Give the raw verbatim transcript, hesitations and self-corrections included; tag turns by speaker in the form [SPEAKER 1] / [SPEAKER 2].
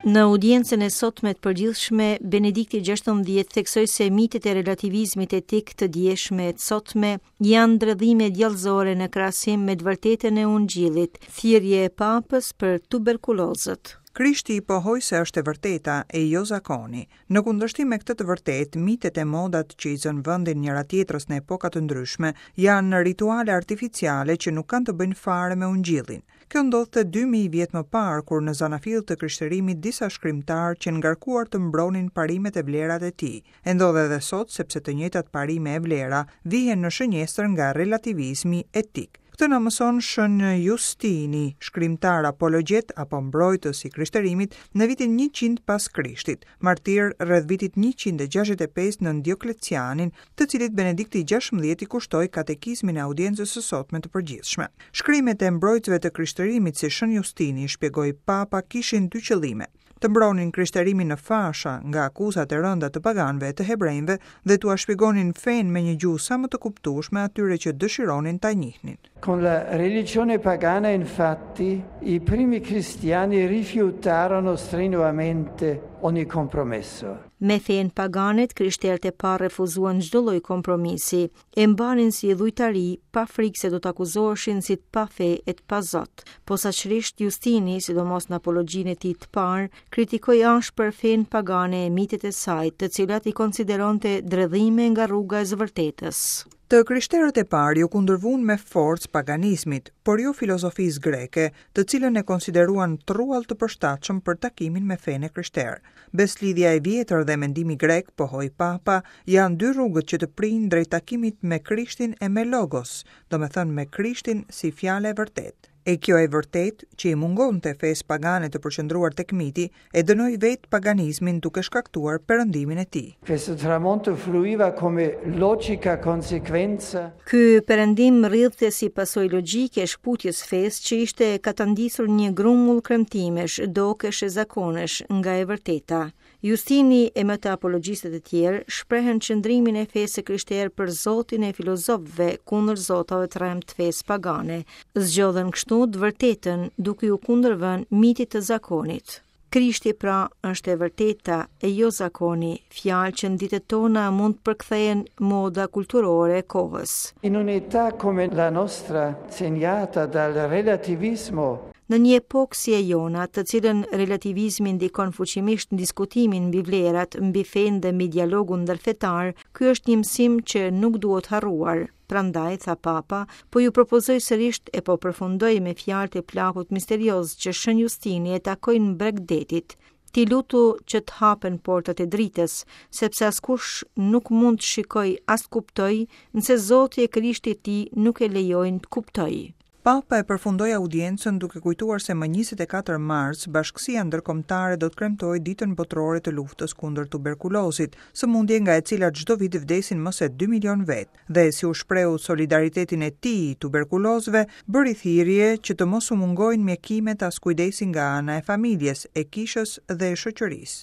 [SPEAKER 1] Në audiencën e sotme të përgjithshme, Benedikti gjashtëmbëdhjetë theksoi se mitet e relativizmit etik të djeshme e të sotme janë dredhime djallëzore në krahasim me të vërtetën e Ungjillit, thirrje e Papës për tuberkulozët.
[SPEAKER 2] Krishti i pohoi se është e vërteta e jo zakoni. Në kundërshtim me këtë të vërtetë, mitet e modat që i zënë vendin njëra tjetrës në epoka të ndryshme janë rituale artificiale që nuk kanë të bëjnë fare me Ungjillin. Kjo ndodhte dy mijë vjet më parë, kur në zanafill të krishterimit disa shkrimtarë që ngarkuar të mbronin parimet e vlerat e tij. E ndodh edhe sot, sepse të njëjtat parime e vlera vihen në shënjestër nga relativizmi etik. Këtë na mëson Shën Justini, shkrimtar apologjet apo mbrojtës i krishterimit në vitin njëqind pas Krishtit, martir rreth vitit njëqind e gjashtëdhjetë e pesë në Dioklecianin, të cilit Benedikti gjashtëmbëdhjetë i kushtoi katekizmin e audiencës së sotme të përgjithshme. Shkrimet e mbrojtësve të krishterimit si Shën Justini, shpjegoi Papa, kishin dy qëllime: të mbronin krishterimin në fasha nga akuzat e rënda të paganëve e të hebrejve dhe t'ua shpjegonin fenë me një gjuhë sa më të kuptueshme atyre që dëshironin ta njihnin.
[SPEAKER 3] Con la religione pagana, infatti, i primi cristiani rifiutarono strenuamente ogni compromesso.
[SPEAKER 1] Me fenë paganet, krishterët e parë refuzuan çdo lloj kompromisi, e mbanin si idhujtari, pa frikë se do të akuzoheshin si të pa fe e të pa zot. Posaçërisht Justini, sidomos në apologjinë e tij të parë, kritikoi ashpër fenë pagane e mitet e saj, të cilat i konsideronte dredhime nga rruga e së vërtetës.
[SPEAKER 2] Të krishterët e parë ju kundërvun me forcë paganizmit, por jo filozofisë greke, të cilën e konsideruan truall të përshtatshëm për takimin me fenë e krishterë. Beslidhja e vjetër dhe mendimi grek, pohoi Papa, janë dy rrugët që të prijnë drejt takimit me Krishtin e me Logos, domethënë me Krishtin si fjalë e vërtetë. E kjo e vërtetë, që i mungonte fesë pagane të përqendruar tek miti, e dënoi vetë paganizmin duke shkaktuar perëndimin e tij.
[SPEAKER 3] Questo tramonto fluiva come logica conseguenza.
[SPEAKER 1] Ky perëndim rridhte si pasojë logjike e shkputjes fesë që ishte katandisur një grumbull kremtimesh, dokesh e zakonesh nga e vërteta. Justini e më të apologjistët e tjerë shprehën qëndrimin e fesë së krishterë për Zotin e filozofëve kundër zotave të rremë të fesë pagane. Zgjodhën kështu të vërtetën duke ju kundërvënë mitit të zakonit. Krishti pra është e vërteta e jo zakoni, fjalë që në ditët tona mund të përkthehen moda kulturore e kohës.
[SPEAKER 3] In un'età come la nostra, segnata dal relativismo,
[SPEAKER 1] Në një epokë si e jona, të cilën relativizmi ndikon fuqimisht në diskutimin mbi vlerat, mbi fenë dhe mbi dialogun ndërfetar, ky është një mësim që nuk duhet harruar. Prandaj, tha Papa, po ju propozoj sërisht e po përfundoj me fjalët e plakut misterioz që Shën Justini e takoi në breg detit. Ti lutu që të hapen portat e dritës, sepse askush nuk mund të shikoj as të kuptoj, nëse Zoti e Krishti i tij nuk e lejojnë të kuptoj.
[SPEAKER 2] Papa e përfundoi audiencën duke kujtuar se më njëzet e katër mars Bashkësia Ndërkombëtare do të kremtojë Ditën Botërore të Luftës kundër Tuberkulozit, sëmundje nga e cila çdo vit vdesin më se dy milion vetë, dhe si u shprehu solidaritetin e tij tuberkulozëve, bëri thirrje që të mos u mungojnë mjekimet as kujdesin nga ana e familjes, e kishës dhe e shoqërisë.